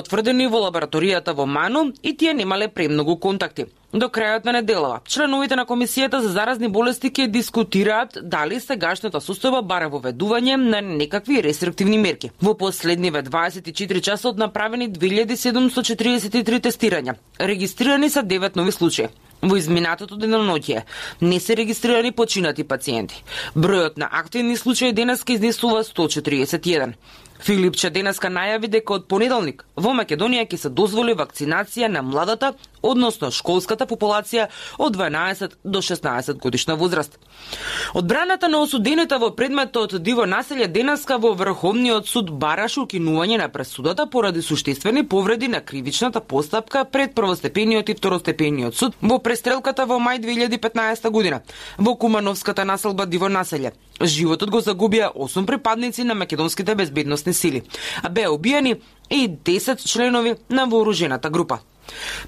Утврдени во лабораторијата во Ману и тие немале премногу контакти. До крајот на неделава, членовите на Комисијата за заразни болести ќе дискутираат дали сегашната состојба бара воведување на некакви рестриктивни мерки. Во последниве 24 часот направени 2743 тестирања. Регистрирани се 9 нови случаи. Во изминатото деноноќие не се регистрирани починати пациенти. Бројот на активни случаи денеска изнесува 141. Филипче денеска најави дека од понеделник во Македонија ќе се дозволи вакцинација на младата, односно школската популација од 12 до 16 годишна возраст. Одбраната на осудените во предметот диво населје денеска во Врховниот суд бараше укинување на пресудата поради суштествени повреди на кривичната постапка пред првостепениот и второстепениот суд во престрелката во мај 2015 година во Кумановската населба диво населје. Животот го загубија 8 припадници на македонските безбедносни сили, а беа убиени и 10 членови на вооружената група.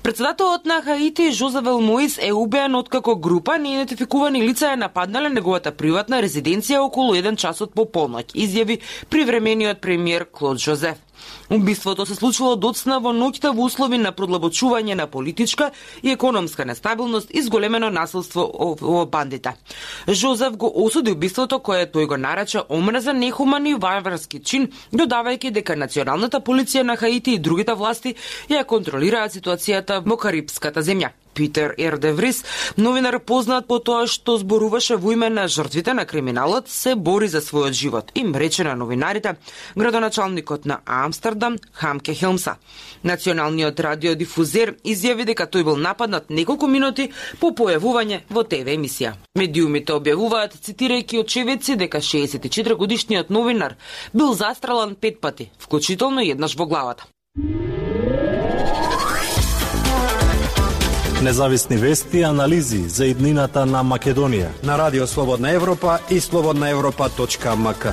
Председателот на Хаити Жозеф Моис е убиен откако група неидентификувани лица е нападнале неговата приватна резиденција околу 1 часот по полноќ, изјави привремениот премиер Клод Жозеф. Убиството се случило доцна во ноќта во услови на продлабочување на политичка и економска нестабилност и зголемено насилство во бандите. Жозеф го осуди убиството кое тој го нарече омразен, нехуман и варварски чин, додавајќи дека националната полиција на Хаити и другите власти ја контролираат ситуацијата во Карипската земја. Питер Ердеврис, новинар познат по тоа што зборуваше во име на жртвите на криминалот, се бори за својот живот, им рече на новинарите градоначалникот на Амстердам Хамке Хелмса. Националниот радиодифузер изјави дека тој бил нападнат неколку минути по појавување во ТВ емисија. Медиумите објавуваат, цитирајќи очевидци, дека 64 годишниот новинар бил застрелан 5 пати, вклучително еднаш во главата. Независни вести и анализи за иднината на Македонија на Радио Слободна Европа и slobodnaevropa.mk.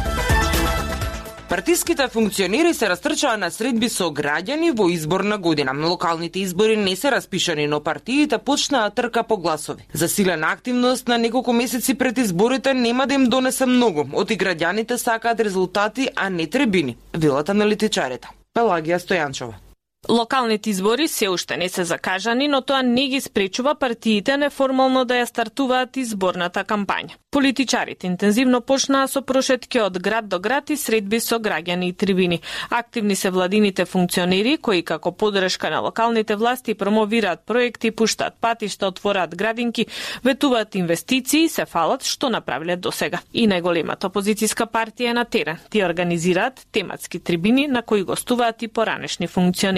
Партиските функционери се растрчаа на средби со граѓани во изборна година. Локалните избори не се распишани, но партиите почнаа трка по гласови. Засилена активност на неколку месеци пред изборите нема да им донесе многу. Оти граѓаните сакаат резултати, а не требини, велат аналитичарите. Пелагија Стојанчова. Локалните избори се уште не се закажани, но тоа не ги спречува партиите неформално да ја стартуваат изборната кампања. Политичарите интензивно почнаа со прошетки од град до град и средби со граѓани и трибини. Активни се владините функционери кои како подршка на локалните власти промовираат проекти, пуштаат патишта, отвораат градинки, ветуваат инвестиции и се фалат што направиле досега. И најголемата опозицијска партија е на терен. Тие организираат тематски трибини на кои гостуваат и поранешни функционери.